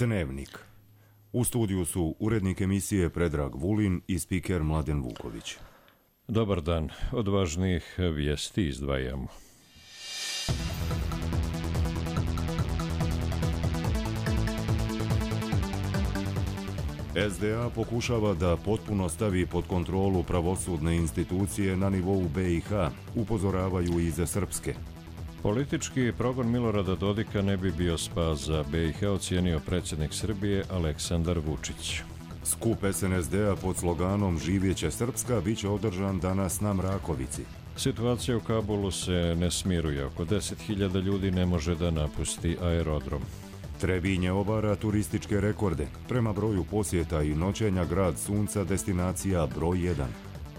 Dnevnik. U studiju su urednik emisije Predrag Vulin i spiker Mladen Vuković. Dobar dan. Od važnijih vijesti izdvajamo. SDA pokušava da potpuno stavi pod kontrolu pravosudne institucije na nivou BiH, upozoravaju iz Srpske. Politički progon Milorada Dodika ne bi bio spas za BiH, ocijenio predsjednik Srbije Aleksandar Vučić. Skup SNSD-a pod sloganom Živjeće Srpska biće održan danas na Mrakovici. Situacija u Kabulu se ne smiruje. Oko 10.000 ljudi ne može da napusti aerodrom. Trebinje obara turističke rekorde. Prema broju posjeta i noćenja grad sunca destinacija broj 1.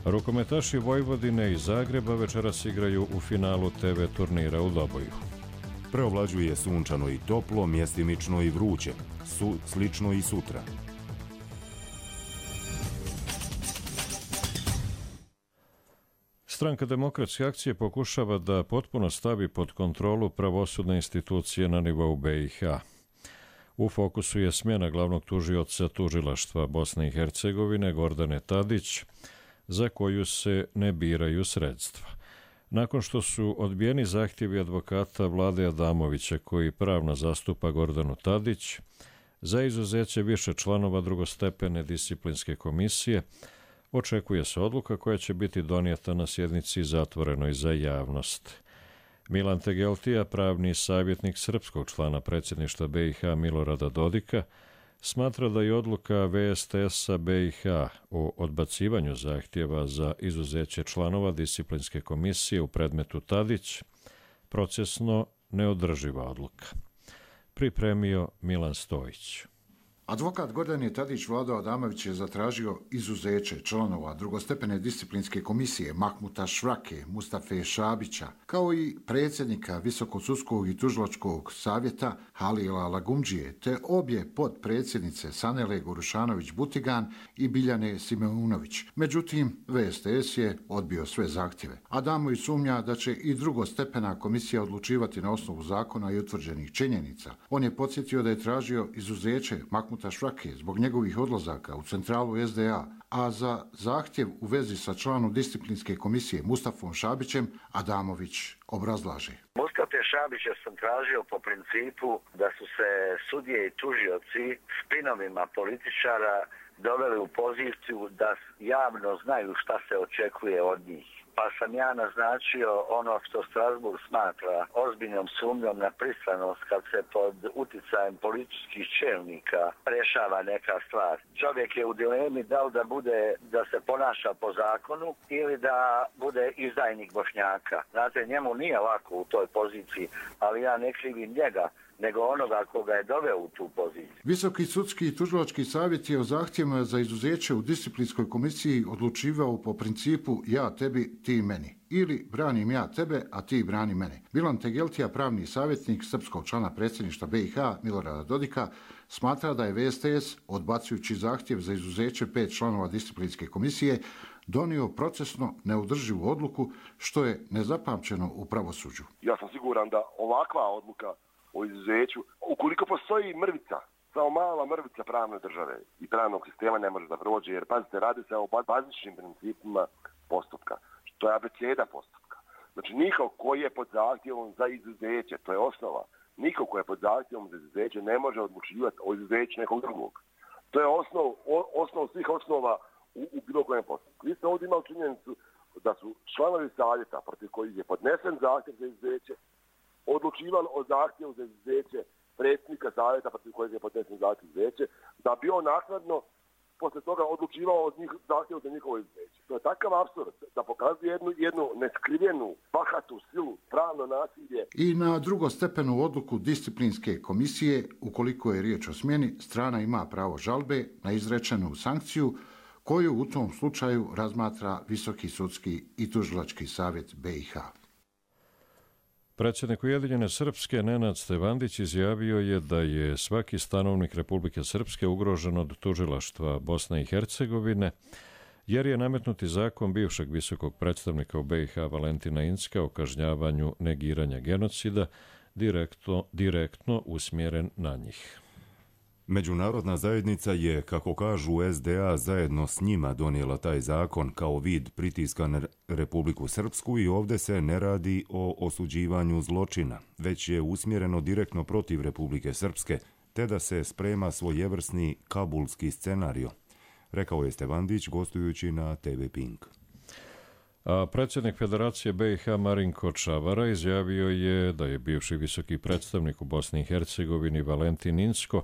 Rukometaši Vojvodine i Zagreba večeras igraju u finalu TV turnira u Doboju. Preovlađuje sunčano i toplo, mjestimično i vruće. Slično i sutra. Stranka Demokratske akcije pokušava da potpuno stavi pod kontrolu pravosudne institucije na nivou BiH. U fokusu je smjena glavnog tužioca tužilaštva Bosne i Hercegovine Gordane Tadić, za koju se ne biraju sredstva. Nakon što su odbijeni zahtjevi advokata Vlade Adamovića, koji pravno zastupa Gordanu Tadić, za izuzeće više članova drugostepene disciplinske komisije, očekuje se odluka koja će biti donijeta na sjednici zatvorenoj za javnost. Milan Tegeltija, pravni savjetnik srpskog člana predsjedništva BiH Milorada Dodika, smatra da je odluka VSTS-a BiH o odbacivanju zahtjeva za izuzeće članova disciplinske komisije u predmetu Tadić procesno neodrživa odluka. Pripremio Milan Stojić. Advokat Gordane Tadić Vlado Adamović je zatražio izuzeće članova drugostepene disciplinske komisije Mahmuta Švrake, Mustafe Šabića, kao i predsjednika Visokog sudskog i tužilačkog savjeta Halila Lagumdžije, te obje potpredsjednice Sanele Gorušanović-Butigan i Biljane Simeunović. Međutim, VSTS je odbio sve zahtjeve. Adamović sumnja da će i drugostepena komisija odlučivati na osnovu zakona i utvrđenih činjenica. On je podsjetio da je tražio izuzeće Mahmuta Švrake zbog njegovih odlazaka u centralu SDA, a za zahtjev u vezi sa članom disciplinske komisije Mustafom Šabićem Adamović obrazlaže. Mustafe Šabića sam tražio po principu da su se sudije i tužioci spinovima političara doveli u poziciju da javno znaju šta se očekuje od njih. Pa sam ja naznačio ono što Strasbourg smatra ozbiljnom sumnjom na pristranost kad se pod uticajem političkih čelnika rešava neka stvar. Čovjek je u dilemi da se ponaša po zakonu ili da bude izdajnik Bošnjaka. Znate, njemu nije lako u toj poziciji, ali ja ne krivim njega, nego onoga koga je doveo u tu poziciju. Visoki sudski i tužilački savjet je o zahtjevima za izuzeće u disciplinskoj komisiji odlučivao po principu ja tebi, ti meni. Ili branim ja tebe, a ti brani mene. Milan Tegeltija, pravni savjetnik srpskog člana predsjedništva BiH Milorada Dodika, smatra da je VSTS, odbacujući zahtjev za izuzeće 5 članova disciplinske komisije, donio procesno neodrživu odluku, što je nezapamćeno u pravosuđu. Ja sam siguran da ovakva odluka o izuzeću, ukoliko postoji mrvica, samo mala mrvica pravne države i pravnog sistema ne može da prođe, jer pazite, radi se o bazičnim principima postupka, što je abeceda postupka. Znači, niko ko je pod zahtjevom za izuzeće, to je osnova, niko ko je pod zahtjevom za izuzeće ne može odlučivati o izuzeću nekog drugog. To je osnov svih osnova u bilo kojem postupku. Vi ste ovdje imali činjenicu da su članovi savjeta protiv kojih je podnesen zahtjev za izuzeće odlučivali o zahtjevu za izuzeće predsjednika savjeta protiv kojeg je podnesen zahtjev za izuzeće, da bi on naknadno poslije toga odlučivao od njih zahtjevu za njihovo izuzeće. To je takav apsurd da pokazuje jednu neskrivenu, bahatu silu, pravno nasilje. I na drugostepenu odluku disciplinske komisije, ukoliko je riječ o smjeni, strana ima pravo žalbe na izrečenu sankciju, koju u tom slučaju razmatra Visoki sudski i tužilački savjet BiH. Predsjednik Ujedinjene Srpske Nenad Stevandić izjavio je da je svaki stanovnik Republike Srpske ugrožen od tužilaštva Bosne i Hercegovine, jer je nametnuti zakon bivšeg visokog predstavnika u BiH Valentina Incka o kažnjavanju negiranja genocida direktno usmjeren na njih. Međunarodna zajednica je, kako kažu SDA, zajedno s njima donijela taj zakon kao vid pritiska na Republiku Srpsku i ovdje se ne radi o osuđivanju zločina, već je usmjereno direktno protiv Republike Srpske, te da se sprema svojevrsni kabulski scenario, rekao je Stevandić gostujući na TV Pink. A predsjednik Federacije BiH Marinko Čavara izjavio je da je bivši visoki predstavnik u Bosni i Hercegovini Valentin Inzko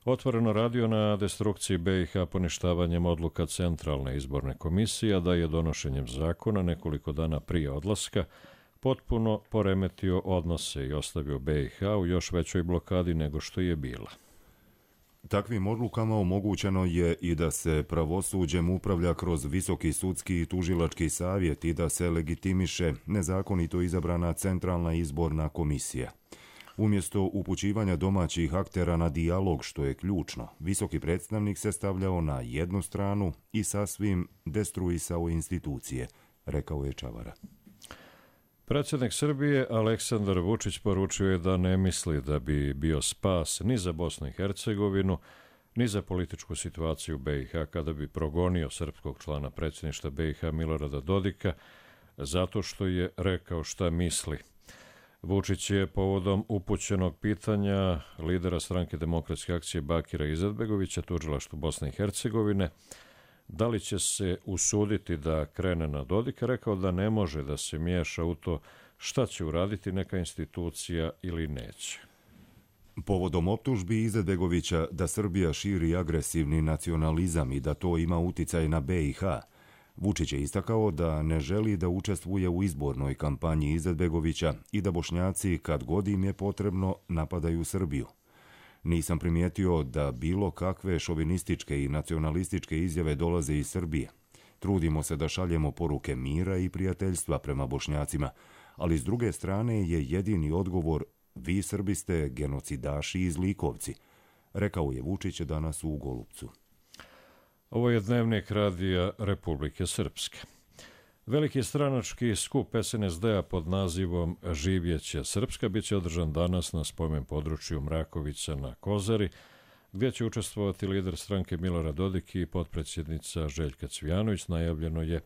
otvoreno radio na destrukciji BiH poništavanjem odluka Centralne izborne komisije, a da je donošenjem zakona nekoliko dana prije odlaska potpuno poremetio odnose i ostavio BiH u još većoj blokadi nego što je bila. Takvim odlukama omogućeno je i da se pravosuđem upravlja kroz Visoki sudski i tužilački savjet i da se legitimiše nezakonito izabrana Centralna izborna komisija. Umjesto upućivanja domaćih aktera na dijalog, što je ključno, visoki predstavnik se stavljao na jednu stranu i sasvim destruisao institucije, rekao je Čavara. Predsjednik Srbije Aleksandar Vučić poručio je da ne misli da bi bio spas ni za Bosnu i Hercegovinu, ni za političku situaciju BiH kada bi progonio srpskog člana predsjedništva BiH Milorada Dodika zato što je rekao šta misli. Vučić je povodom upućenog pitanja lidera stranke Demokratske akcije Bakira Izetbegovića tužilaštvu Bosne i Hercegovine da li će se usuditi da krene na Dodika, rekao da ne može da se miješa u to šta će uraditi neka institucija ili neće. Povodom optužbi Izetbegovića da Srbija širi agresivni nacionalizam i da to ima uticaj na BiH, Vučić je istakao da ne želi da učestvuje u izbornoj kampanji Izetbegovića i da Bošnjaci, kad god im je potrebno, napadaju Srbiju. Nisam primijetio da bilo kakve šovinističke i nacionalističke izjave dolaze iz Srbije. Trudimo se da šaljemo poruke mira i prijateljstva prema Bošnjacima, ali s druge strane je jedini odgovor vi Srbi ste genocidaši i zlikovci, rekao je Vučić danas u Golupcu. Ovo je dnevnik Radija Republike Srpske. Veliki stranački skup SNSD-a pod nazivom Živjeće Srpska bit će održan danas na spomen području Mrakovića na Kozari, gdje će učestvovati lider stranke Milorad Dodik i potpredsjednica Željka Cvijanović, najavljeno je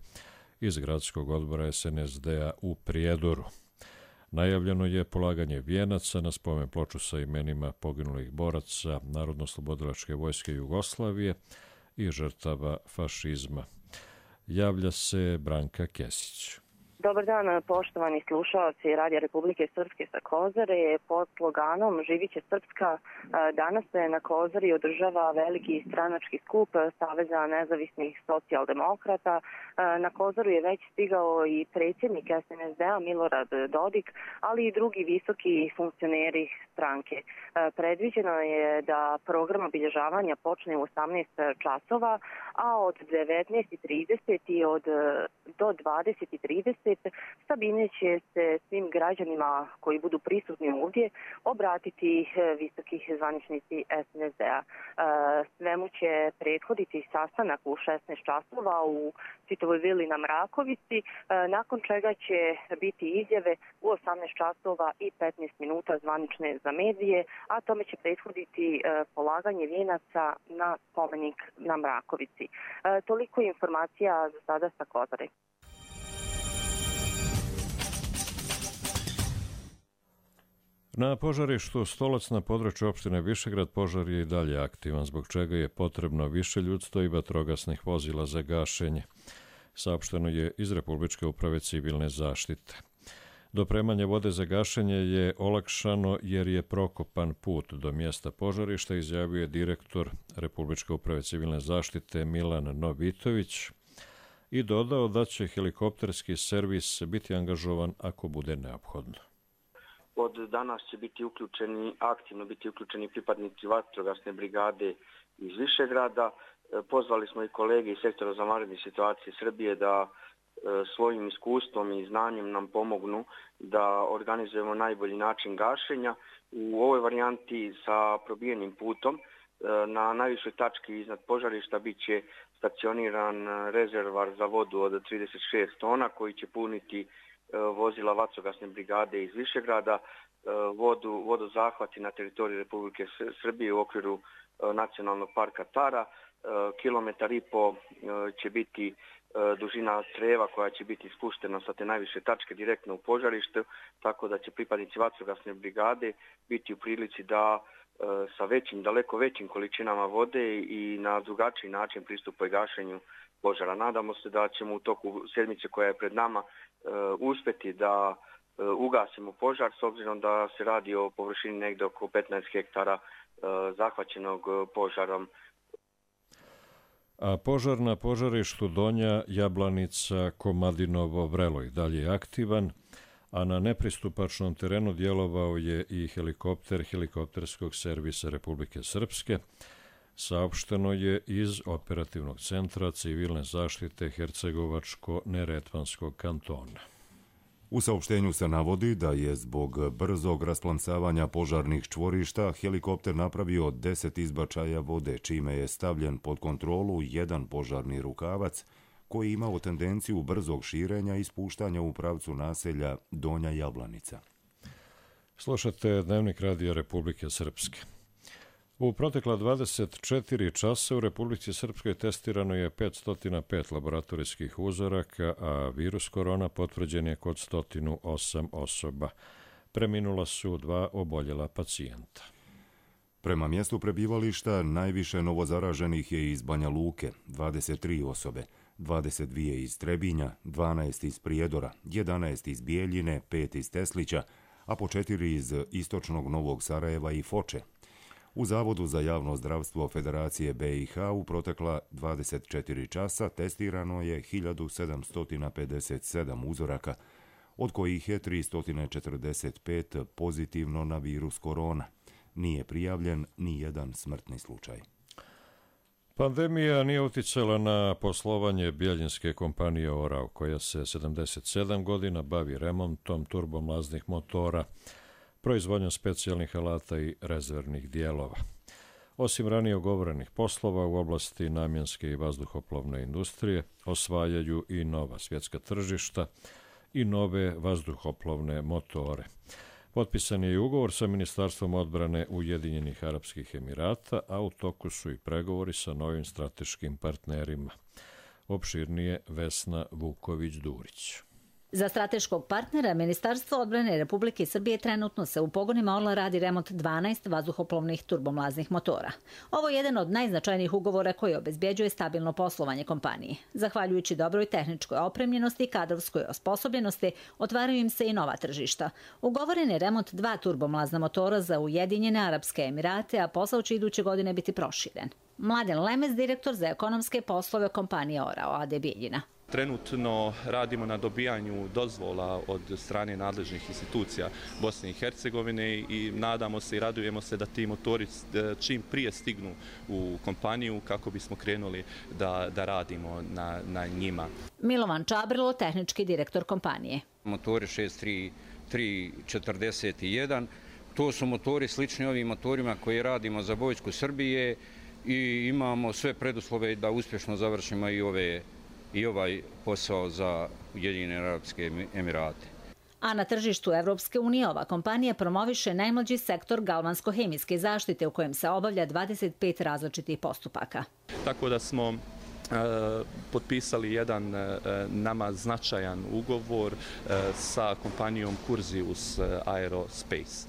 iz gradskog odbora SNSD-a u Prijedoru. Najavljeno je polaganje vijenaca na spomen ploču sa imenima poginulih boraca Narodno-oslobodilačke vojske Jugoslavije i žrtava fašizma. Javlja se Branka Kesić. Dobar dan, poštovani slušalci Radija Republike Srpske sa Kozare. Pod sloganom Živiće Srpska danas se na Kozari održava veliki stranački skup Saveza nezavisnih socijaldemokrata. Na Kozaru je već stigao i predsjednik SNSD-a Milorad Dodik, ali i drugi visoki funkcioneri stranke. Predviđeno je da program obilježavanja počne u 18 časova, a od 19:30 i do 20:30 Sabine će se svim građanima koji budu prisutni ovdje obratiti visokih zvaničnici SNSD-a. Svemu će prethoditi sastanak u 16 časova u Citovoj vili na Mrakovici, nakon čega će biti izjave u 18 časova i 15 minuta zvanične za medije, a tome će prethoditi polaganje vijenaca na spomenik na Mrakovici. Toliko informacija za sada sa Kozare. Na požarištu Stolac na području opštine Višegrad požar je i dalje aktivan, zbog čega je potrebno više ljudstva i vatrogasnih vozila za gašenje. Saopšteno je iz Republičke uprave civilne zaštite. Dopremanje vode za gašenje je olakšano jer je prokopan put do mjesta požarišta, izjavio je direktor Republičke uprave civilne zaštite Milan Novitović i dodao da će helikopterski servis biti angažovan ako bude neophodno. Od danas će aktivno biti uključeni pripadnici vatrogasne brigade iz Višegrada. Pozvali smo i kolege iz sektora za vanredne situacije Srbije da svojim iskustvom i znanjem nam pomognu da organizujemo najbolji način gašenja. U ovoj varijanti sa probijenim putom na najvišoj tački iznad požarišta bit će stacioniran rezervar za vodu od 36 tona koji će puniti vozila vatrogasne brigade iz Višegrada. vodozahvati na teritoriji Republike Srbije u okviru Nacionalnog parka Tara. Kilometar i po će biti dužina creva koja će biti spuštena sa te najviše tačke direktno u požarište, tako da će pripadnici vatrogasne brigade biti u prilici da sa daleko većim količinama vode i na drugačiji način pristupaju gašenju požara. Nadamo se da ćemo u toku sedmice koja je pred nama uspjeti da ugasimo požar, s obzirom da se radi o površini negdje oko 15 hektara zahvaćenog požarom. A požar na požarištu Donja Jablanica Komadinovo Vrelo i dalje je aktivan, a na nepristupačnom terenu djelovao je i helikopter helikopterskog servisa Republike Srpske, saopšteno je iz Operativnog centra civilne zaštite Hercegovačko-Neretvanskog kantona. U saopštenju se navodi da je zbog brzog rasplamsavanja požarnih čvorišta helikopter napravio 10 izbačaja vode, čime je stavljen pod kontrolu jedan požarni rukavac koji je imao tendenciju brzog širenja i spuštanja u pravcu naselja Donja Jablanica. Slušate Dnevnik Radija Republike Srpske. U protekla 24 časa u Republici Srpskoj testirano je 505 laboratorijskih uzoraka, a virus korona potvrđen je kod 108 osoba. Preminula su 2 oboljela pacijenta. Prema mjestu prebivališta najviše novozaraženih je iz Banja Luke, 23 osobe, 22 iz Trebinja, 12 iz Prijedora, 11 iz Bijeljine, 5 iz Teslića, a po 4 iz istočnog Novog Sarajeva i Foče. U Zavodu za javno zdravstvo Federacije BiH u protekla 24 časa testirano je 1757 uzoraka, od kojih je 345 pozitivno na virus korona. Nije prijavljen ni jedan smrtni slučaj. Pandemija nije uticala na poslovanje bijeljinske kompanije Orao, koja se 77 godina bavi remontom turbomlaznih motora, proizvodnjom specijalnih alata i rezervnih dijelova. Osim ranije ugovorenih poslova u oblasti namjenske i vazduhoplovne industrije, osvajaju i nova svjetska tržišta i nove vazduhoplovne motore. Potpisan je i ugovor sa Ministarstvom odbrane Ujedinjenih Arapskih Emirata, a u toku su i pregovori sa novim strateškim partnerima. Opširnije Vesna Vuković-Durić. Za strateškog partnera Ministarstvo odbrane Republike Srbije trenutno se u pogonima Orla radi remont 12 vazduhoplovnih turbomlaznih motora. Ovo je jedan od najznačajnijih ugovora koji obezbjeđuje stabilno poslovanje kompanije. Zahvaljujući dobroj tehničkoj opremljenosti i kadrovskoj osposobljenosti, otvaraju im se i nova tržišta. Ugovoren je remont 2 turbomlazna motora za Ujedinjene Arapske Emirate, a posao će iduće godine biti proširen. Mladen Lemez, direktor za ekonomske poslove kompanije Orao AD Bijeljina. Trenutno radimo na dobijanju dozvola od strane nadležnih institucija Bosne i Hercegovine i nadamo se i radujemo se da ti motori čim prije stignu u kompaniju kako bismo krenuli da radimo na njima. Milovan Čabrilo, tehnički direktor kompanije. Motori 63341, to su motori slični ovim motorima koje radimo za vojsku Srbije i imamo sve preduslove da uspješno završimo i ovaj posao za Ujedinjene Arapske Emirate. A na tržištu Evropske unije ova kompanija promoviše najmlađi sektor galvansko-hemijske zaštite u kojem se obavlja 25 različitih postupaka. Tako da smo potpisali jedan nama značajan ugovor sa kompanijom Curzius Aerospace.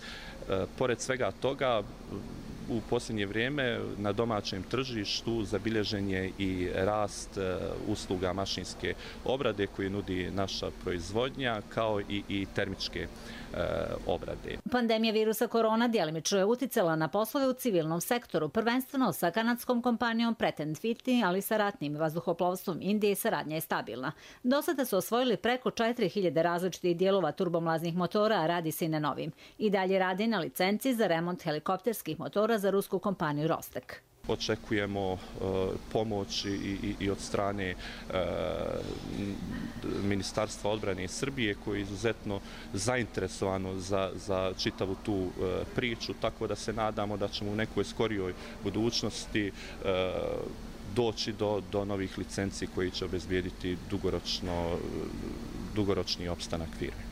Pored svega toga, u posljednje vrijeme na domaćem tržištu zabilježen je i rast usluga mašinske obrade koje nudi naša proizvodnja, kao i termičke obrade. Pandemija virusa korona djelimično je uticala na poslove u civilnom sektoru, prvenstveno sa kanadskom kompanijom Pratt & Whitney, ali sa ratnim vazduhoplovstvom Indije saradnja je stabilna. Do sada su osvojili preko 4000 različitih dijelova turbomlaznih motora, a radi se i na novim. I dalje radi na licenciji za remont helikopterskih motora za rusku kompaniju Rostek. Očekujemo pomoć i od strane Ministarstva odbrane Srbije koje je izuzetno zainteresovano za čitavu tu priču, tako da se nadamo da ćemo u nekoj skorijoj budućnosti doći do novih licenci koji će obezbijediti dugoročni opstanak firme.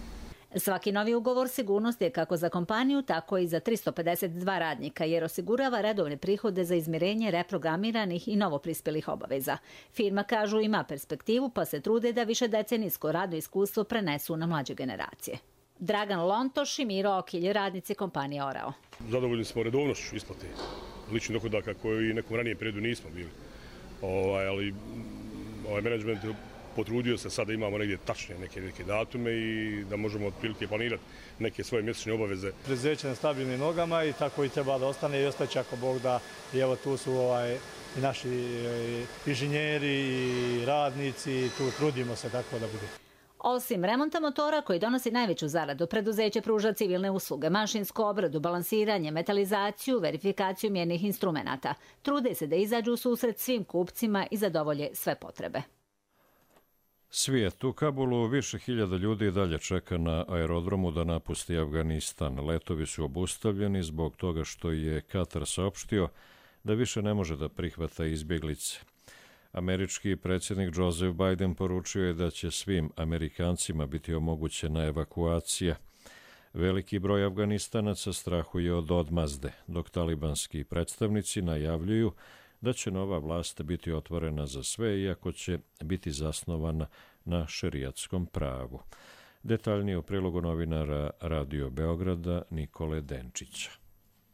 Svaki novi ugovor sigurnost je kako za kompaniju, tako i za 352 radnika, jer osigurava redovne prihode za izmirenje reprogramiranih i novoprispelih obaveza. Firma, kažu, ima perspektivu, pa se trude da više decenijsko radno iskustvo prenesu na mlađe generacije. Dragan Lontoš i Miro Okilj, radnici kompanije Orao. Zadovoljni smo redovnošću isplate ličnih dohodaka koji i nekom ranijem periodu nismo bili. Ali menadžment potrudio se sad da imamo negdje tačne neke datume i da možemo otprilike planirati neke svoje mjesečne obaveze. Preduzeće na stabilnim nogama i tako i treba da ostane i ostaće ako Bog da. I evo tu su i naši inženjeri i radnici, tu trudimo se tako da bude. Osim remonta motora koji donosi najveću zaradu, preduzeće pruža civilne usluge, mašinsku obradu, balansiranje, metalizaciju, verifikaciju mjernih instrumenata. Trude se da izađu u susret svim kupcima i zadovolje sve potrebe. Svijet. U Kabulu više hiljada ljudi dalje čeka na aerodromu da napusti Afganistan. Letovi su obustavljeni zbog toga što je Katar saopštio da više ne može da prihvata izbjeglice. Američki predsjednik Joseph Biden poručio je da će svim Amerikancima biti omogućena evakuacija. Veliki broj Afganistanaca strahuje od odmazde, dok talibanski predstavnici najavljuju da će nova vlast biti otvorena za sve, iako će biti zasnovana na šerijatskom pravu. Detaljnije u prilogu novinara Radio Beograda Nikole Denčića.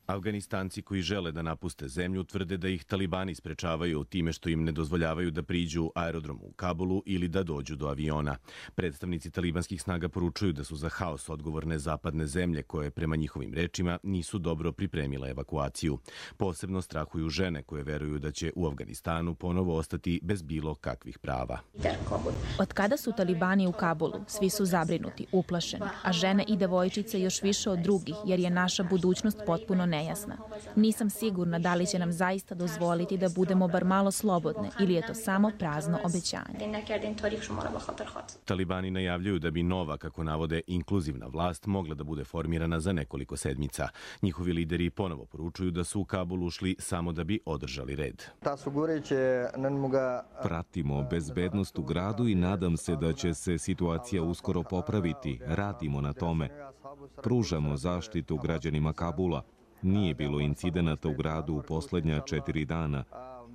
Afganistanci koji žele da napuste zemlju tvrde da ih talibani sprečavaju time što im ne dozvoljavaju da priđu aerodromu u Kabulu ili da dođu do aviona. Predstavnici talibanskih snaga poručuju da su za haos odgovorne zapadne zemlje koje, prema njihovim rečima, nisu dobro pripremile evakuaciju. Posebno strahuju žene koje veruju da će u Afganistanu ponovo ostati bez bilo kakvih prava. Od kada su talibani u Kabulu, svi su zabrinuti, uplašeni, a žene i devojčice još više od drugih, jer je naša budućnost potpuno nejasna. Nisam sigurna da li će nam zaista dozvoliti da budemo bar malo slobodne ili je to samo prazno obećanje. Talibani najavljuju da bi nova, kako navode, inkluzivna vlast mogla da bude formirana za nekoliko sedmica. Njihovi lideri ponovo poručuju da su u Kabul ušli samo da bi održali red. Pratimo bezbednost u gradu i nadam se da će se situacija uskoro popraviti. Radimo na tome. Pružamo zaštitu građanima Kabula. Nije bilo incidenata u gradu u posljednja 4 dana.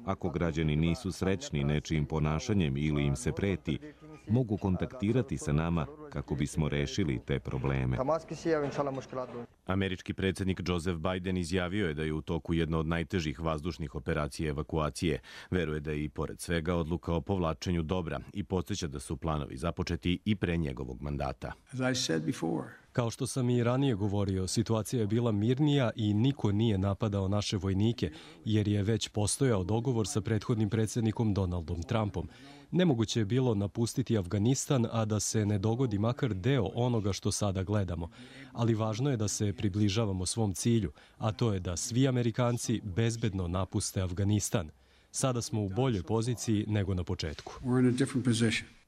Ako građani nisu srećni nečijim ponašanjem ili im se preti, mogu kontaktirati sa nama kako bismo rešili te probleme. Američki predsjednik Joseph Biden izjavio je da je u toku jedna od najtežih vazdušnih operacija evakuacije. Veruje da je i pored svega odluka o povlačenju dobra i podsjeća da su planovi započeti i pre njegovog mandata. Kao što sam i ranije govorio, situacija je bila mirnija i niko nije napadao naše vojnike, jer je već postojao dogovor sa prethodnim predsjednikom Donaldom Trumpom. Nemoguće je bilo napustiti Afganistan, a da se ne dogodi makar deo onoga što sada gledamo. Ali važno je da se približavamo svom cilju, a to je da svi Amerikanci bezbedno napuste Afganistan. Sada smo u boljoj poziciji nego na početku.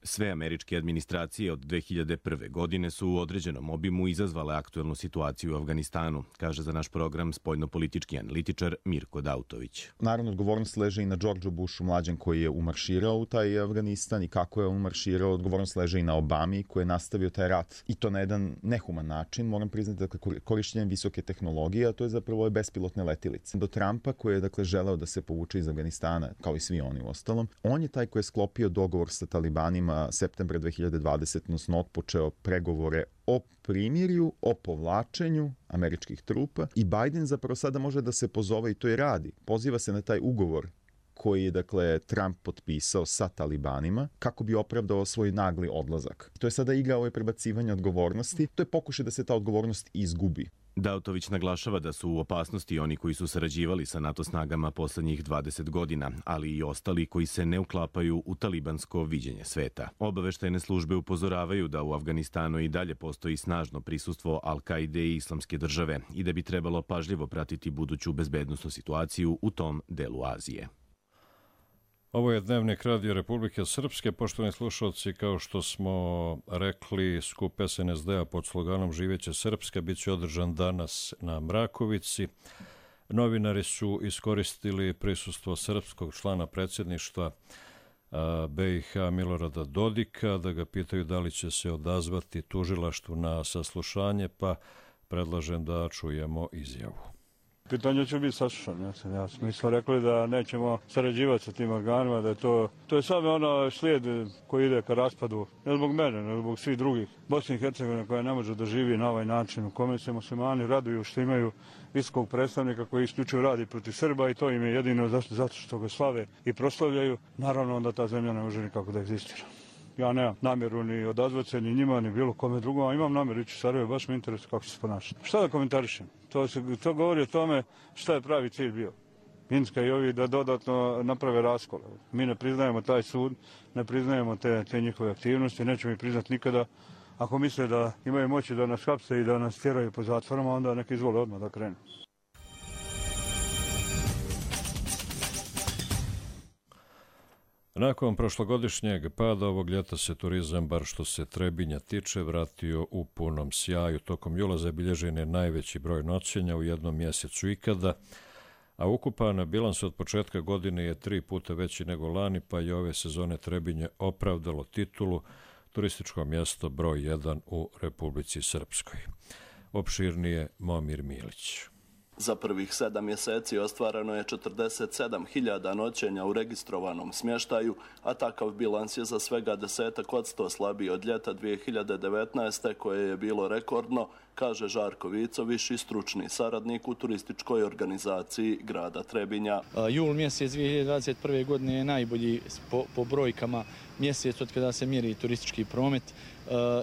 Sve američke administracije od 2001. godine su u određenom obimu izazvale aktuelnu situaciju u Afganistanu, kaže za naš program spoljnopolitički analitičar Mirko Dautović. Naravno, odgovornost leži i na Georgeu Bushu mlađem koji je umarširao u taj Afganistan i kako je umarširao. Odgovornost leži i na Obami koji je nastavio taj rat i to na jedan nehuman način. Moram priznati da korištenjem visoke tehnologije, a to je zapravo ove bespilotne letilice. Do Trumpa koji je želeo da se povuče iz Afganistana, kao i svi oni u ostalom, on je taj koji je sklopio dogovor sa talibanima septembra 2020, odnosno otpočeo pregovore o primirju, o povlačenju američkih trupa i Biden zapravo sada može da se pozove i to i radi. Poziva se na taj ugovor koji je Trump potpisao sa talibanima kako bi opravdao svoj nagli odlazak. To je sada igra ove prebacivanja odgovornosti, to je pokušaj da se ta odgovornost izgubi. Dautović naglašava da su u opasnosti oni koji su sarađivali sa NATO snagama poslednjih 20 godina, ali i ostali koji se ne uklapaju u talibansko viđenje sveta. Obaveštajne službe upozoravaju da u Afganistanu i dalje postoji snažno prisustvo Al-Kaide i Islamske države i da bi trebalo pažljivo pratiti buduću bezbednosnu situaciju u tom delu Azije. Ovo je Dnevnik Radio Republike Srpske. Poštovani slušalci, kao što smo rekli, skup SNSD-a pod sloganom Živeće Srpska bit će održan danas na Mrakovici. Novinari su iskoristili prisustvo srpskog člana predsjedništva BiH Milorada Dodika, da ga pitaju da li će se odazvati tužilaštvu na saslušanje, pa predlažem da čujemo izjavu. Pitanje će biti saslušano. Mi smo rekli da nećemo sarađivati sa tim organima, da je to je samo ono slijed koji ide ka raspadu, ne zbog mene, ne zbog svih drugih. Bosne i Hercegovine koja ne može da živi na ovaj način u kome se muslimani raduju što imaju visokog predstavnika koji isključivo radi protiv Srba i to im je jedino zato što ga slave i proslavljaju. Naravno onda ta zemlja ne može nikako da egzistira. Ja nemam namjeru ni odazvati se ni njima, ni bilo kome drugom, a imam namjeru ići u Sarajevo, baš me interesuje kako će se ponašati. Šta da komentarišem? To govori o tome šta je pravi cilj bio. Minska i ovi da dodatno naprave raskol. Mi ne priznajemo taj sud, ne priznajemo te njihove aktivnosti, nećemo ih priznati nikada. Ako misle da imaju moći da nas hapse i da nas tjeraju po zatvorama, onda neka izvole odmah da krenu. Nakon prošlogodišnjeg pada ovog ljeta se turizam, bar što se Trebinja tiče, vratio u punom sjaju. Tokom jula zabilježen je najveći broj noćenja u jednom mjesecu ikada, a ukupan bilans od početka godine je 3 puta veći nego lani, pa je ove sezone Trebinje opravdalo titulu turističko mjesto broj 1 u Republici Srpskoj. Opširnije Momir Milić. Za prvih 7 mjeseci ostvareno je 47.000 noćenja u registrovanom smještaju, a takav bilans je za svega 10% slabiji od ljeta 2019. koje je bilo rekordno, kaže Žarko Vicović i stručni saradnik u turističkoj organizaciji grada Trebinja. Jul mjesec 2021. godine je najbolji po brojkama mjesec od kada se mjeri turistički promet.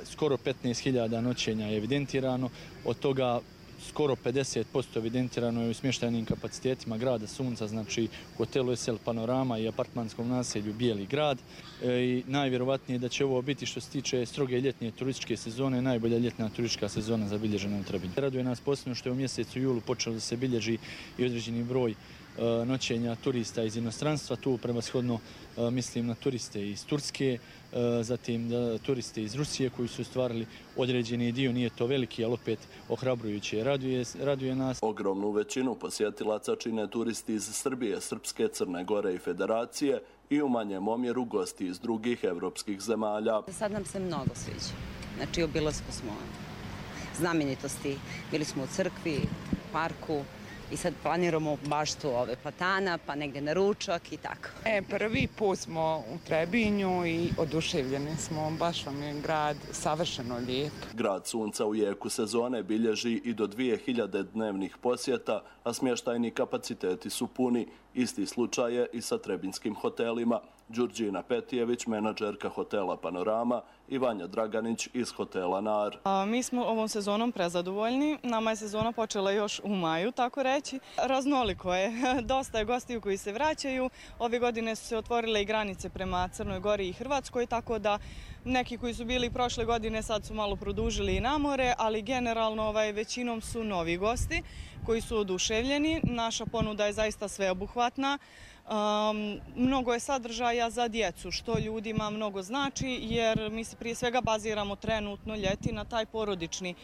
Skoro 15.000 noćenja je evidentirano, od toga skoro 50% evidentirano je u smještajnim kapacitetima grada Sunca, znači hotelu SL Panorama i apartmanskom naselju Bijeli grad. I najvjerovatnije da će ovo biti što se tiče stroge ljetnje turističke sezone, najbolja ljetna turistička sezona zabilježena u Trebinju. Raduje nas posebno što je u mjesecu julu počelo da se bilježi i određeni broj noćenja turista iz inostranstva, tu prevashodno mislim na turiste iz Turske, zatim turiste iz Rusije koji su ostvarili određeni dio, nije to veliki, ali opet ohrabrujuće, raduje nas. Ogromnu većinu posjetilaca čine turisti iz Srbije, Srpske, Crne Gore i Federacije i u manjem omjeru gosti iz drugih evropskih zemalja. Sad nam se mnogo sviđa. Znači, obilasku smo znamenitosti, bili smo u crkvi, u parku, i sad planiramo baštu ove platana, pa negdje na ručak i tako. Prvi put smo u Trebinju i oduševljeni smo, baš vam je grad savršeno lijep. Grad Sunca u jeku sezone bilježi i do 2000 dnevnih posjeta, a smještajni kapaciteti su puni. Isti slučaj je i sa trebinskim hotelima. Đurđina Petijević, menadžerka hotela Panorama, i Vanja Draganić iz hotela Nar. Mi smo ovom sezonom prezadovoljni. Nama je sezona počela još u maju, tako reći. Raznoliko je. Dosta je gostiju koji se vraćaju. Ove godine su se otvorile i granice prema Crnoj Gori i Hrvatskoj, tako da neki koji su bili prošle godine sad su malo produžili i na more, ali generalno većinom su novi gosti koji su oduševljeni. Naša ponuda je zaista sveobuhvatna. Mnogo je sadržaja za djecu, što ljudima mnogo znači, jer mi se prije svega baziramo trenutno ljeti na taj porodični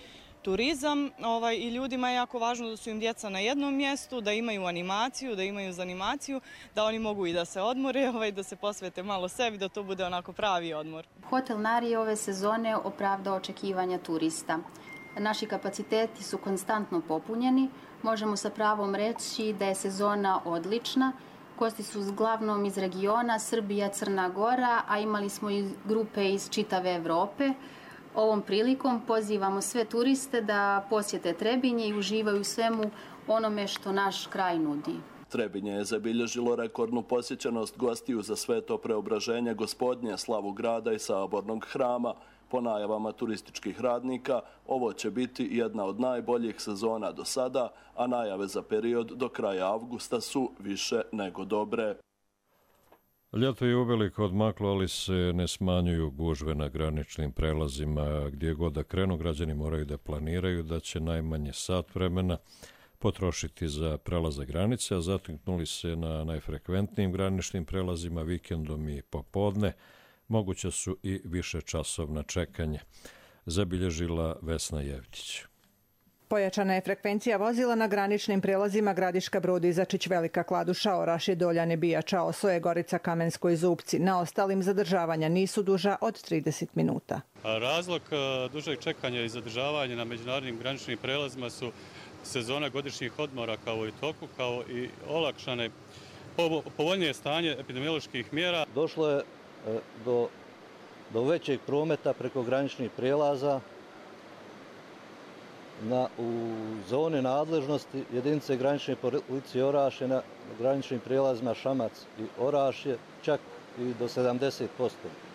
turizam i ljudima je jako važno da su im djeca na jednom mjestu, da imaju animaciju, da imaju zanimaciju, da oni mogu i da se odmore, da se posvete malo sebi, da to bude onako pravi odmor. Hotel Nar je ove sezone opravdao očekivanja turista. Naši kapaciteti su konstantno popunjeni, možemo sa pravom reći da je sezona odlična. Gosti su uglavnom iz regiona Srbija, Crna Gora, a imali smo i grupe iz čitave Evrope. Ovom prilikom pozivamo sve turiste da posjete Trebinje i uživaju svemu onome što naš kraj nudi. Trebinje je zabilježilo rekordnu posjećenost gostiju za sveto preobraženje Gospodnje, slavu grada i sabornog hrama. Po najavama turističkih radnika, ovo će biti jedna od najboljih sezona do sada, a najave za period do kraja avgusta su više nego dobre. Ljeto je uveliko odmaklo, ali se ne smanjuju gužve na graničnim prelazima. Gdje god da krenu, građani moraju da planiraju da će najmanje sat vremena potrošiti za prelazak granice, a zateknuli se na najfrekventnijim graničnim prelazima vikendom i popodne. Moguće su i više časovna čekanja, zabilježila Vesna Jevtić. Pojačana je frekvencija vozila na graničnim prelazima Gradiška Brod, Izačić, Velika Kladuša, Orašje, Doljane, Bijača, Osoje, Gorica, Kamensko i Zubci. Na ostalim zadržavanja nisu duža od 30 minuta. Razlog dužeg čekanja i zadržavanja na međunarodnim graničnim prelazima su sezona godišnjih odmora kao i toku, kao i olakšane povoljnije stanje epidemioloških mjera. Došlo je do većeg prometa preko graničnih prelaza u zoni nadležnosti jedinice granične policije Orašje na graničnim prijelazima Šamac i Orašje čak i do 70%.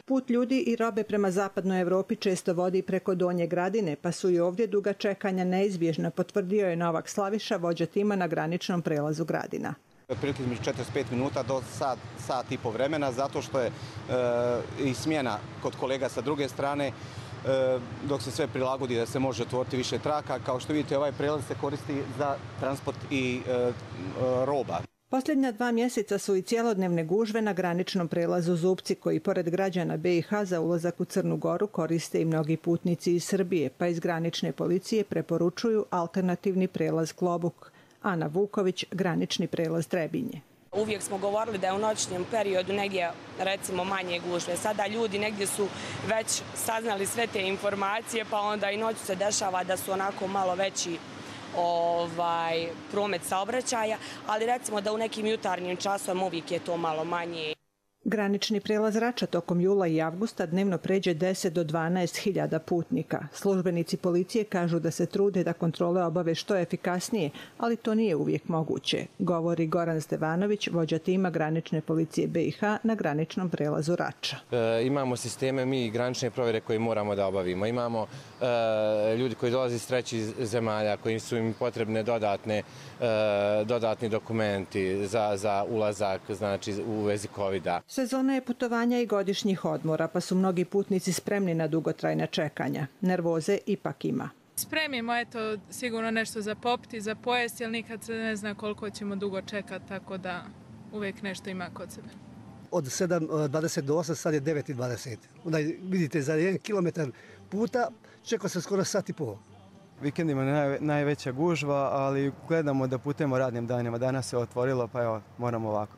Put ljudi i robe prema zapadnoj Evropi često vodi preko Donje Gradine, pa su i ovdje duga čekanja neizbježna, potvrdio je Novak Slaviša, vođa tima na graničnom prelazu Gradina. Otprilike između 45 minuta do sat i po vremena, zato što je i smjena kod kolega sa druge strane, dok se sve prilagodi da se može otvoriti više traka. Kao što vidite, ovaj prelaz se koristi za transport i roba. Posljednja 2 mjeseca su i cjelodnevne gužve na graničnom prelazu Zubci, koji pored građana BiH za ulazak u Crnu Goru koriste i mnogi putnici iz Srbije, pa iz granične policije preporučuju alternativni prelaz Klobuk. Ana Vuković, granični prelaz Trebinje. Uvijek smo govorili da je u noćnom periodu negdje, recimo, manje gužve. Sada ljudi negdje su već saznali sve te informacije, pa onda i noću se dešava da su onako malo veći promet saobraćaja, ali recimo da u nekim jutarnjim časovima uvijek je to malo manje. Granični prelaz Rača tokom jula i avgusta dnevno pređe 10 do 12.000 putnika. Službenici policije kažu da se trude da kontrole obave što efikasnije, ali to nije uvijek moguće, govori Goran Stevanović, vođa tima granične policije BiH na graničnom prelazu Rača. Imamo sisteme mi granične provjere koje moramo da obavimo. Imamo ljudi koji dolaze iz trećih zemalja, koji su im potrebne dodatni dokumenti za ulazak, znači u vezi COVID-a. Sezona je putovanja i godišnjih odmora, pa su mnogi putnici spremni na dugotrajna čekanja. Nervoze ipak ima. Spremimo, eto, sigurno nešto za popiti, za pojesti, ali nikad se ne zna koliko ćemo dugo čekati, tako da uvijek nešto ima kod sebe. Od 7.20 do 8, sad je 9.20. Onda vidite, za 1 kilometar puta čeka se skoro sat i pol. Vikendima je najveća gužva, ali gledamo da putujemo radnim danima. Danas se otvorilo, pa evo, moramo ovako.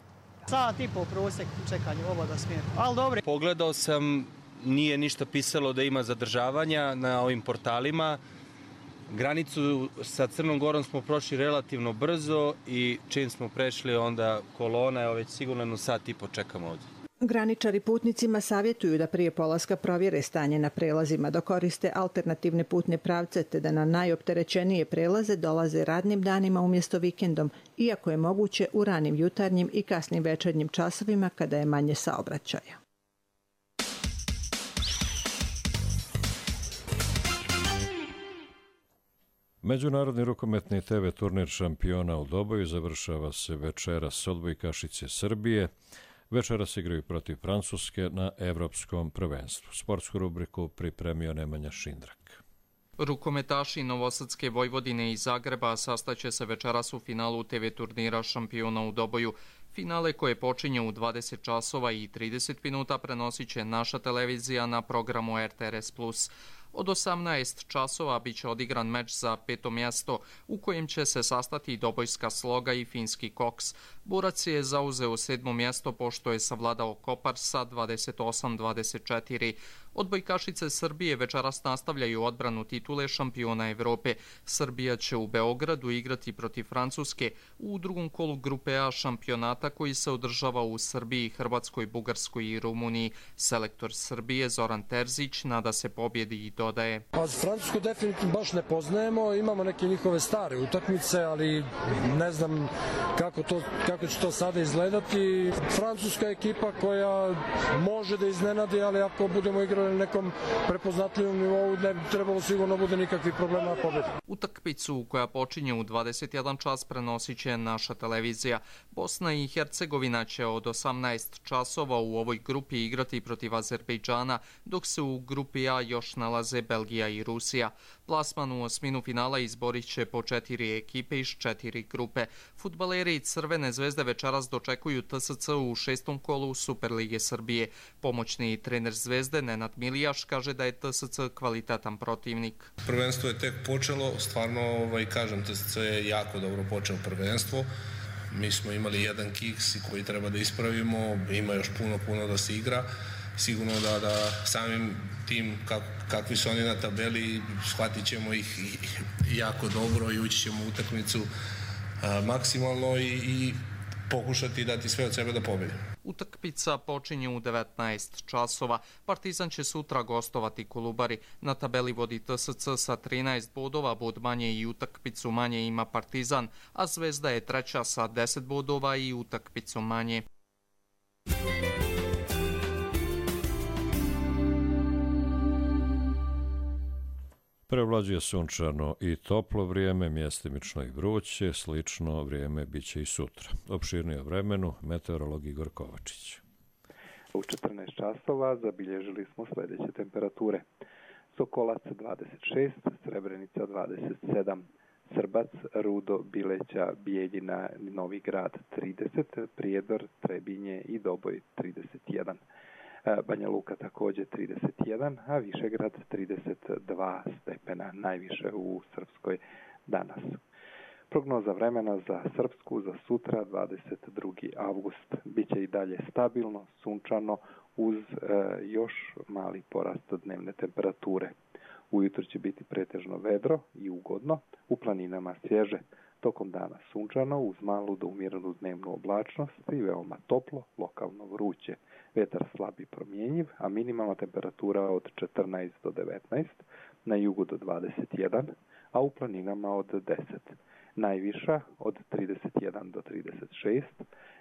Sat i pol prosjek čekanju, ovo da smijem. Ali dobro. Pogledao sam, nije ništa pisalo da ima zadržavanja na ovim portalima. Granicu sa Crnom Gorom smo prošli relativno brzo i čim smo prešli onda kolona, evo već sigurno sat i po čekamo ovdje. Graničari putnicima savjetuju da prije polaska provjere stanje na prelazima, da koriste alternativne putne pravce te da na najopterećenije prelaze dolaze radnim danima umjesto vikendom, iako je moguće u ranim jutarnjim i kasnim večernjim časovima kada je manje saobraćaja. Međunarodni rukometni TV turnir šampiona u Doboju završava se večeras. Odbojkašice Srbije večeras igraju protiv Francuske na evropskom prvenstvu. Sportsku rubriku pripremio Nemanja Šindrak. Rukometaši Novosadske Vojvodine i Zagreba sastaće se večeras u finalu TV turnira šampiona u Doboju. Finale koje počinje u 20 časova i 30 minuta prenosit će naša televizija na programu RTRS+. Od 18 časova biće odigran meč za 5. mjesto u kojem će se sastati Dobojska Sloga i Finski Koks. Borac je zauzeo 7. mjesto pošto je savladao Kopar sa 28-24. Odbojkašice Srbije večeras nastavljaju odbranu titule šampiona Evrope. Srbija će u Beogradu igrati protiv Francuske u drugom kolu grupe A šampionata koji se održava u Srbiji, Hrvatskoj, Bugarskoj i Rumuniji. Selektor Srbije Zoran Terzić nada se pobjedi i dodaje. Francusku definitivno baš ne poznajemo, imamo neke njihove stare utakmice, ali ne znam kako će to sada izgledati. Francuska je ekipa koja može da iznenadi, ali ako budemo igrali na nekom prepoznatljivom nivou, ne bi trebalo sigurno bude nikakvih problema na pobjedu. Utakmicu koja počinje u 21 čas prenosit će naša televizija. Bosna i Hercegovina će od 18 časova u ovoj grupi igrati protiv Azerbejdžana, dok se u grupi A još nalazi nalaze Belgija i Rusija. Plasman u osminu finala izborit će po 4 ekipe iz 4 grupe. Fudbaleri Crvene zvezde večeras dočekuju TSC u 6. kolu Superlige Srbije. Pomoćni trener Zvezde Nenad Milijaš kaže da je TSC kvalitetan protivnik. Prvenstvo je tek počelo, stvarno kažem, TSC je jako dobro počeo prvenstvo. Mi smo imali jedan kiks koji treba da ispravimo, ima još puno da se igra. Sigurno da samim tim kakvi su oni na tabeli shvatit ćemo ih jako dobro i ući ćemo u utakmicu maksimalno i pokušati dati sve od sebe da pobedimo. Utakmica počinje u 19 časova. Partizan će sutra gostovati Kolubari. Na tabeli vodi TSC sa 13 bodova, bod manje i utakmicu manje ima Partizan, a Zvezda je treća sa 10 bodova i utakmicu manje. Prevlađuje sunčano i toplo vrijeme, mjestimično i vruće, slično vrijeme biće i sutra. Opširnije o vremenu, meteorolog Igor Kovačić. U 14 časova zabilježili smo sljedeće temperature. Sokolac 26, Srebrenica 27, Srbac, Rudo, Bileća, Bijeljina, Novi Grad 30, Prijedor, Trebinje i Doboj 31. Banja Luka također 31, a Višegrad 32 stepena, najviše u Srpskoj danas. Prognoza vremena za Srpsku za sutra 22. avgust. Biće i dalje stabilno, sunčano uz još mali porast dnevne temperature. Ujutro će biti pretežno vedro i ugodno, u planinama svježe. Tokom dana sunčano uz malu do umjerenu dnevnu oblačnost i veoma toplo, lokalno vruće. Vjetar slab i promjenjiv, a minimalna temperatura od 14 do 19, na jugu do 21, a u planinama od 10. Najviša od 31 do 36,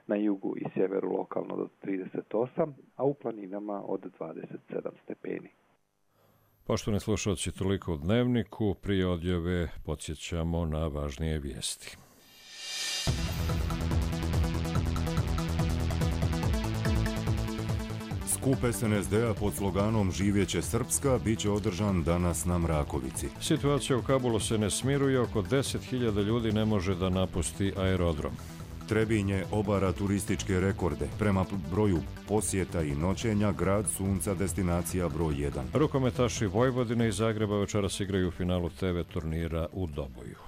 na jugu i sjeveru lokalno do 38, a u planinama od 27 stepeni. Poštovani slušalci, toliko u Dnevniku. Prije odjave podsjećamo na važnije vijesti. Skup SNSD-a pod sloganom Živjeće Srpska bit će održan danas na Mrakovici. Situacija u Kabulu se ne smiruje, oko 10.000 ljudi ne može da napusti aerodrom. Trebinje obara turističke rekorde. Prema broju posjeta i noćenja, grad sunca destinacija broj 1. Rukometaši Vojvodine i Zagreba večeras igraju u finalu TV turnira u Doboju.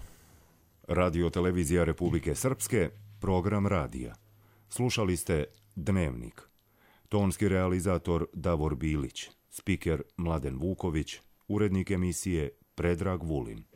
Radio Televizija Republike Srpske, program radija. Slušali ste Dnevnik. Tonski realizator Davor Bilić, spiker Mladen Vuković, urednik emisije Predrag Vulin.